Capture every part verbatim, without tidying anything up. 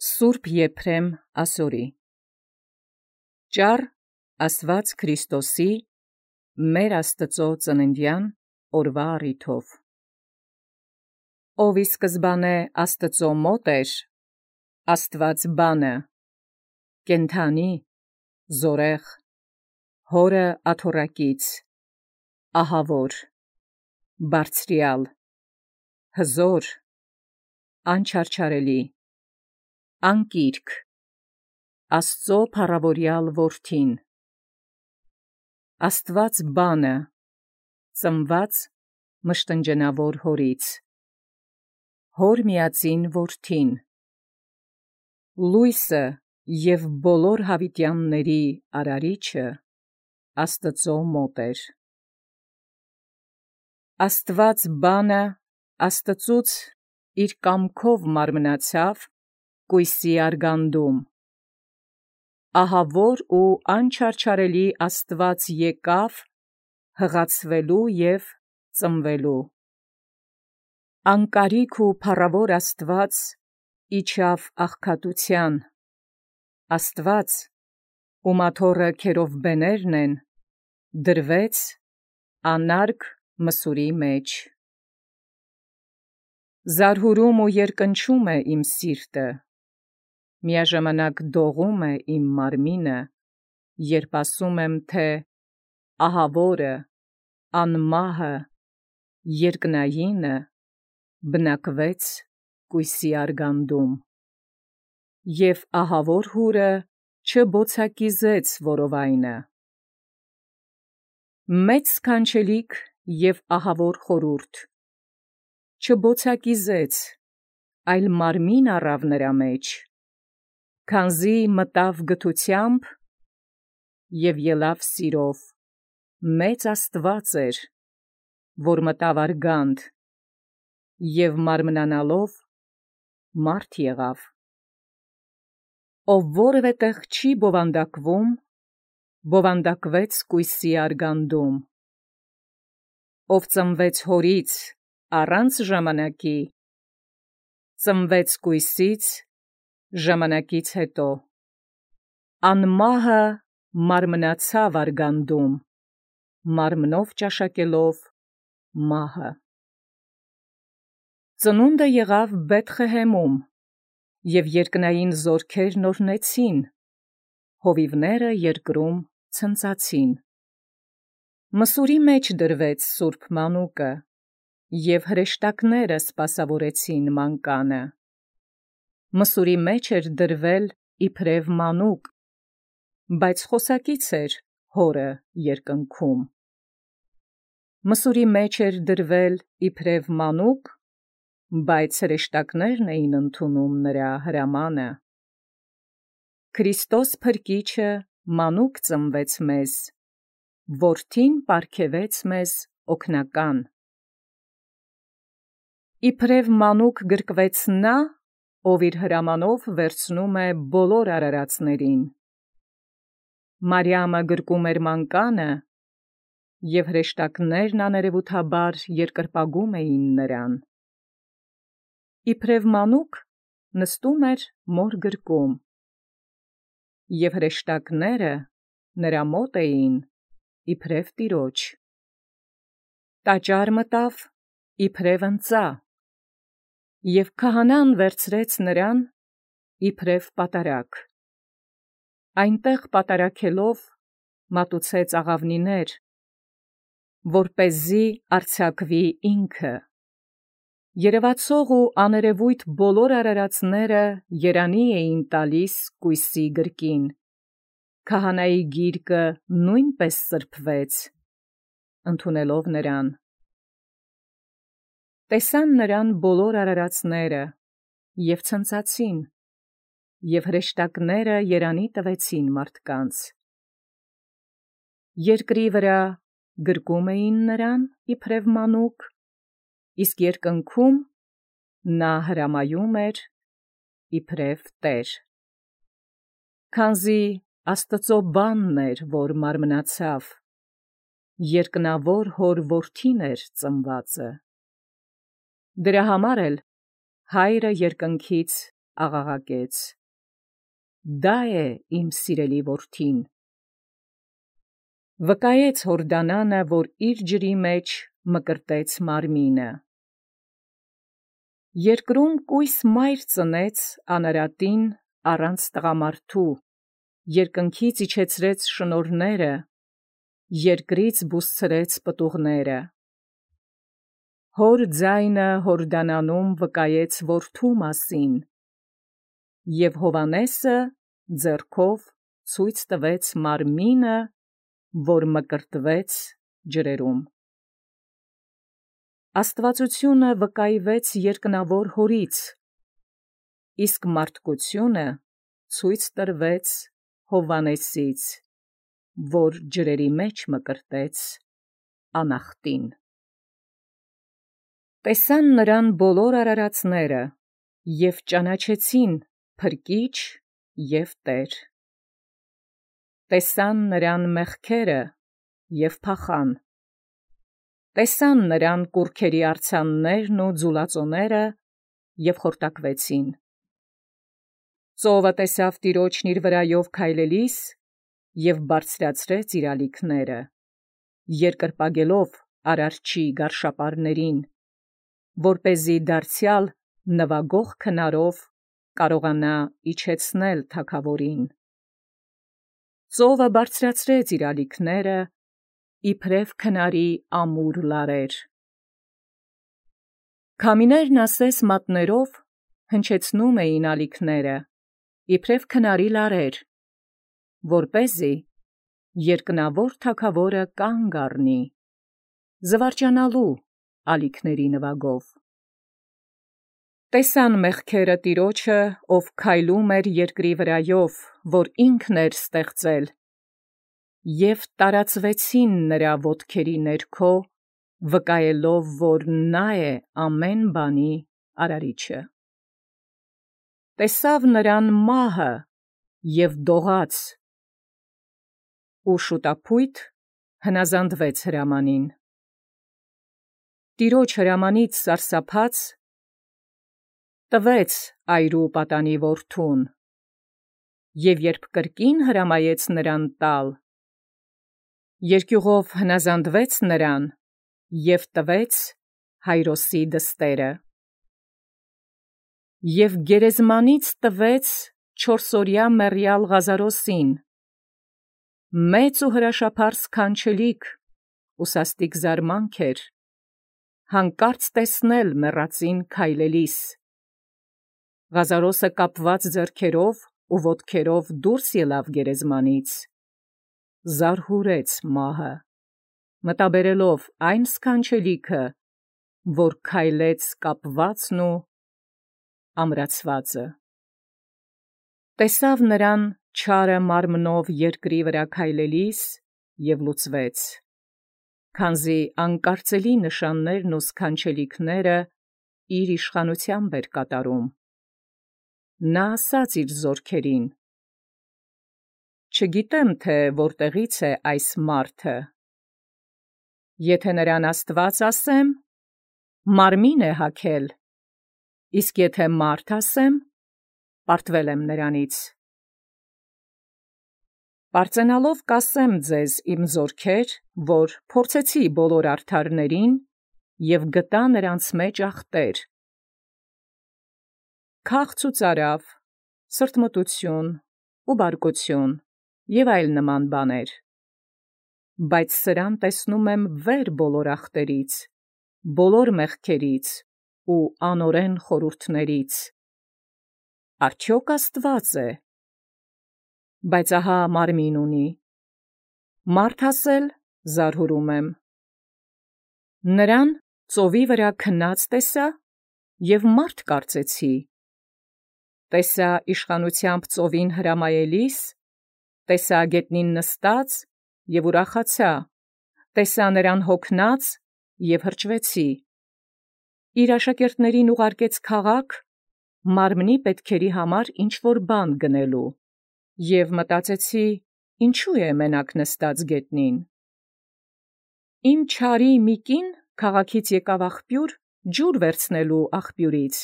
Սուրբ Եփրեմ ասորի ճառ Աստված Քրիստոսի մեր Աստծո ծննդյան օրվա առիթով ով ի սկզբանե Աստծո մոտ էր Աստված բանը կենթանի զորեղ հորը աթոռակից ահավոր բարձրյալ հզոր անչարչարելի անկիրք Աստծո փառավորյալ որդին Աստված բանը ծնված մշտնջենավոր հորից հոր միածին որդին լույսը և բոլոր հավիտյանների արարիչը Աստծո մոտ էր Աստված բանը Աստծուց իր կամքով մարմնացավ կույսի արգանդում ահավոր ու անչարչարելի Աստված եկավ հղացվելու և ծնվելու անկարիք ու փառավոր Աստված իջավ աղքատության Աստված ում աթոռը քերովբեներն են դրվեց անարգ մսուրի մեջ զարհուրում ու երկնչում է իմ սիրտը միաժամանակ դողում է իմ մարմինը երբ ասում եմ թե ահավորը անմահը երկնայինը բնակվեց կույսի արգանդում և ահավոր հուրը չբոցակիզեց որովայնը մեծ սքանչելիք և ահավոր խորհուրդ չբոցակիզեց այլ մարմին առավ նրա մեջ քանզի մտավ գթությամբ և ելավ սիրով մեծ Աստված էր որ մտավ արգանդ և մարմնանալով մարդ եղավ ով որևէ տեղ չի բովանդակվում բովանդակվեց կույսի արգանդում ով ծնվեց հորից առանց ժամանակի ծնվեց կույսից ժամանակից հետո անմահը մարմնացավ արգանդում մարմնով ճաշակելով մահը ծնունդը եղավ Բեթխեհեմում և երկնային զորքերն օրհնեցին հովիվները երկրում ցնծացին մսուրի մեջ դրվեց սուրբ մանուկը և հրեշտակները սպասավորեցին մանկանը մսուրի մեջ էր դրվել իբրև մանուկ բայց խոսակից էր հորը երկնքում մսուրի մեջ էր դրվել իբրև մանուկ բայց հրեշտակներն էին ընդունում նրա հրամանը Քրիստոս Փրկիչը մանուկ ծնվեց մեզ որդին պարգևեց մեզ օգնական իբրև մանուկ գրկվեց նա ով իր հրամանով վերցնում է բոլոր արարածներին Մարիամը գրկում էր մանկանը և հրեշտակներն աներևութաբար երկրպագում էին նրան իբրև մանուկ նստում էր մոր գրկում և հրեշտակները նրա մոտ էին իբրև տիրոջ տաճար մտավ իբրև ընծա և քահանան վերցրեց նրան իբրև պատարագ այնտեղ պատարագելով մատուցեց աղավնիներ որպեսզի արձակվի ինքը երևացող ու աներևույթ բոլոր արարածները երանի էին տալիս կույսի գրկին քահանայի գիրկը նույնպես սրբվեց ընդունելով նրան տեսան նրան բոլոր արարածները և ցնծացին և հրեշտակները երանի տվեցին մարդկանց երկրի վրա գրկում էին նրան իբրև մանուկ իսկ երկնքում նա հրամայում էր իբրև տեր քանզի Աստծո բանն էր որ մարմնացավ երկնավոր հոր որդին էր ծնվածը դրա համար էլ Հայրը երկնքից աղաղակեց. «Դա է իմ սիրելի որդին»։ Վկայեց Հորդանանը, որ իր ջրի մեջ մկրտեց մարմինը։ Երկրում կույս մայր ծնեց անարատին առանց տղամարդու, երկնքից իջեցրեց շնորհները, երկրից բուսցրեց պտուղները։ Հոր ձայնը Հորդանանում վկայեց որդու մասին, և Հովհաննեսը ձեռքով ցույց տվեց մարմինը, որ մկրտվեց ջրերում։ Աստվածությունը վկայվեց երկնավոր Հորից, իսկ մարդկությունը ցույց տրվեց Հովհաննեսից, որ ջրերի մեջ մկրտեց անախտին։ Տեսան նրան բոլոր արարածները և ճանաչեցին Փրկիչ և Տեր։ Տեսան նրան մեղքերը և փախան։ Տեսան նրան կուռքերի արձաններն ու ձուլածոները և խորտակվեցին։ Ծովը տեսավ Տիրոջն իր վրայով քայլելիս և բարձրացրեց իր ալիքները, երկրպագելով Արարչի գարշապարներին, որպեսզի դարձյալ նվագող քնարով կարողանա իջեցնել թագավորին։ Ծովը բարձրացրեց իր ալիքները, իբրև քնարի ամուր լարեր։ Քամիներն ասես մատներով հնչեցնում էին ալիքները, իբրև քնարի լարեր, որպեսզի երկնավոր թագավորը կանգ առնի, զվարճանալու ալիքների նվագով։ Տեսան մեղքերը Տիրոջը, ով քայլում էր երկրի վրայով, որ ինքն էր ստեղծել, և տարածվեցին նրա ոտքերի ներքո, վկայելով, որ նա է ամեն բանի Արարիչը։ Տեսավ նրան մահը և դողաց, ու շուտափույթ հնազանդվեց հրամանին։ Տիրոջ հրամանից սարսափած տվեց այրու պատանի որդուն, և երբ կրկին հրամայեց նրան տալ, երկյուղով հնազանդվեց նրան և տվեց Հայրոսի դստերը։ Եվ գերեզմանից տվեց չորսօրյա մեռյալ Ղազարոսին, մեծ ու հրաշափառ սքանչելիք ու սաստիկ զարմանք էր, հանկարծ տեսնել մեռածին քայլելիս։ Ղազարոսը կապված ձեռքերով ու ոտքերով դուրս ելավ գերեզմանից, զարհուրեց մահը, մտաբերելով այն սքանչելիքը, որ քայլեց կապվածն ու ամրացվածը։ Տեսավ նրան չարը մարմնով երկրի վրա քայլելիս և լուծվեց, քանզի անկարծելի նշաններն ու սքանչելիքները իր իշխանությամբ էր կատարում։ Նա ասաց իր զորքերին. «Չգիտեմ, թե որտեղից է այս մարդը։ Եթե նրան Աստված ասեմ, մարմին է հագել, իսկ եթե մարդ ասեմ, պարտվել եմ նրանից։ Պարծենալով կասեմ ձեզ, իմ զորքեր, որ փորձեցի բոլոր արդարներին և գտա նրանց մեջ ախտեր, քաղց ու ծարավ, սրտմտություն ու բարկություն և այլ նման բաներ, բայց սրան տեսնում եմ վեր բոլոր ախտերից, բոլոր մեղքերից ու անօրեն խորհուրդներից։ Արդյոք Աստված է։ Բայց ահա մարմին ունի, մարդ ասել զարհուրում եմ։ Նրան ծովի վրա քնած տեսա և մարդ կարծեցի, տեսա իշխանությամբ ծովին հրամայելիս, տեսա գետնին նստած և ուրախացա, տեսա նրան հոգնած և հրճվեցի։ Իր աշակերտներին ուղարկեց քաղաք մարմնի պետքերի համար ինչ-որ բան գնելու, և մտածեցի. ինչու է մենակ նստած գետնին։ Իմ չարի մի կին քաղաքից եկավ աղբյուր ջուր վերցնելու աղբյուրից,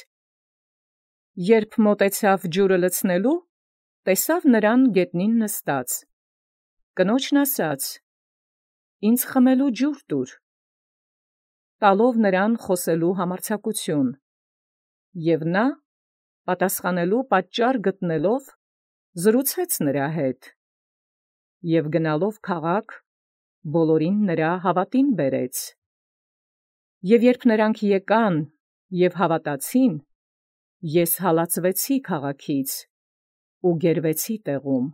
Երբ մոտեցավ ջուրը լցնելու, տեսավ նրան գետնին նստած։ Կնոջն ասաց. «Ինձ խմելու ջուր տուր», տալով նրան խոսելու համարձակություն։ Եվ նա, պատասխանելու պատճառ գտնելով, զրուցեց նրա հետ։ Եվ գնալով քաղաք, բոլորին նրա հավատին բերեց։ Եվ երբ նրանք եկան և հավատացին, ես հալածվեցի քաղաքից ու գերվեցի տեղում։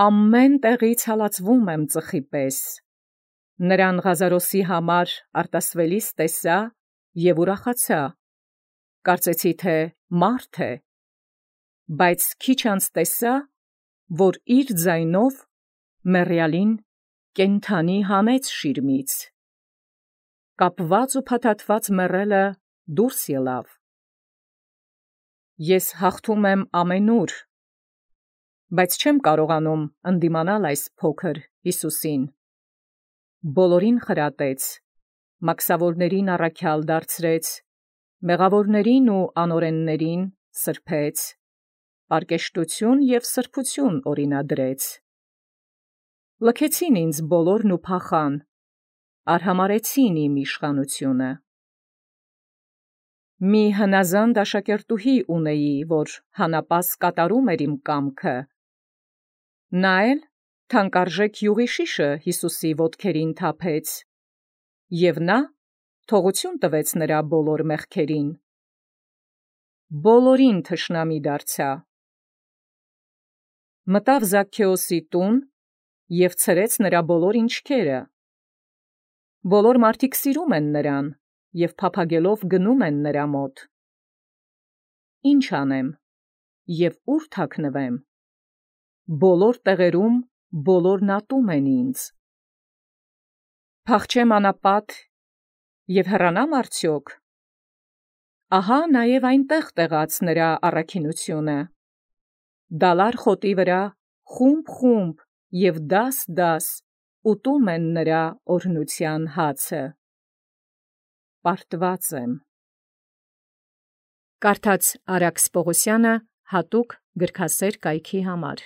Ամեն տեղից հալածվում եմ ծխի պես։ Նրան Ղազարոսի համար արտասվելիս տեսա և ուրախացա, կարծեցի, թե մարդ է, բայց քիչ անց տեսա, որ իր ձայնով մեռյալին կենդանի հանեց շիրմից։ Կապված ու փաթաթված մեռելը դուրս ելավ։ Ես հաղթում եմ ամենուր, բայց չեմ կարողանում ընդդիմանալ այս փոքր Հիսուսին։ Բոլորին խրատեց, մաքսավորներին առաքյալ դարձրեց, մեղավորներին ու անօրեններին սրբեց, պարկեշտություն և սրբություն օրինադրեց։ Լքեցին ինձ բոլորն ու փախան, արհամարհեցին իմ իշխանությունը։ Մի հնազանդ աշակերտուհի ունեի, որ հանապաս կատարում էր իմ կամքը։ Նա էլ թանկարժեք յուղի շիշը Հիսուսի ոտքերին թափեց, և նա թողություն տվեց նրա բոլոր մեղքերին։ Բոլորին թշնամի դարձա։ Մտավ Զաքքեոսի տուն և ցրեց նրա բոլոր ինչքերը։ Բոլոր մարդիկ սիրում են նրան և փափագելով գնում են նրա մոտ։ Ինչ անեմ և ուր թաքնվեմ։ Բոլոր տեղերում բոլորն ատում են ինձ։ Փախչեմ անապատ և հեռանամ արդյոք։ Ահա նաև այնտեղ տեղաց նրա առաքինությունը։ Դալար խոտի վրա խումբ-խումբ և դաս-դաս ուտում են նրա օրհնության հացը։ Պարտված եմ։ Կարդաց Արաքս Պողոսյանը հատուկ գրքասեր կայքի համար։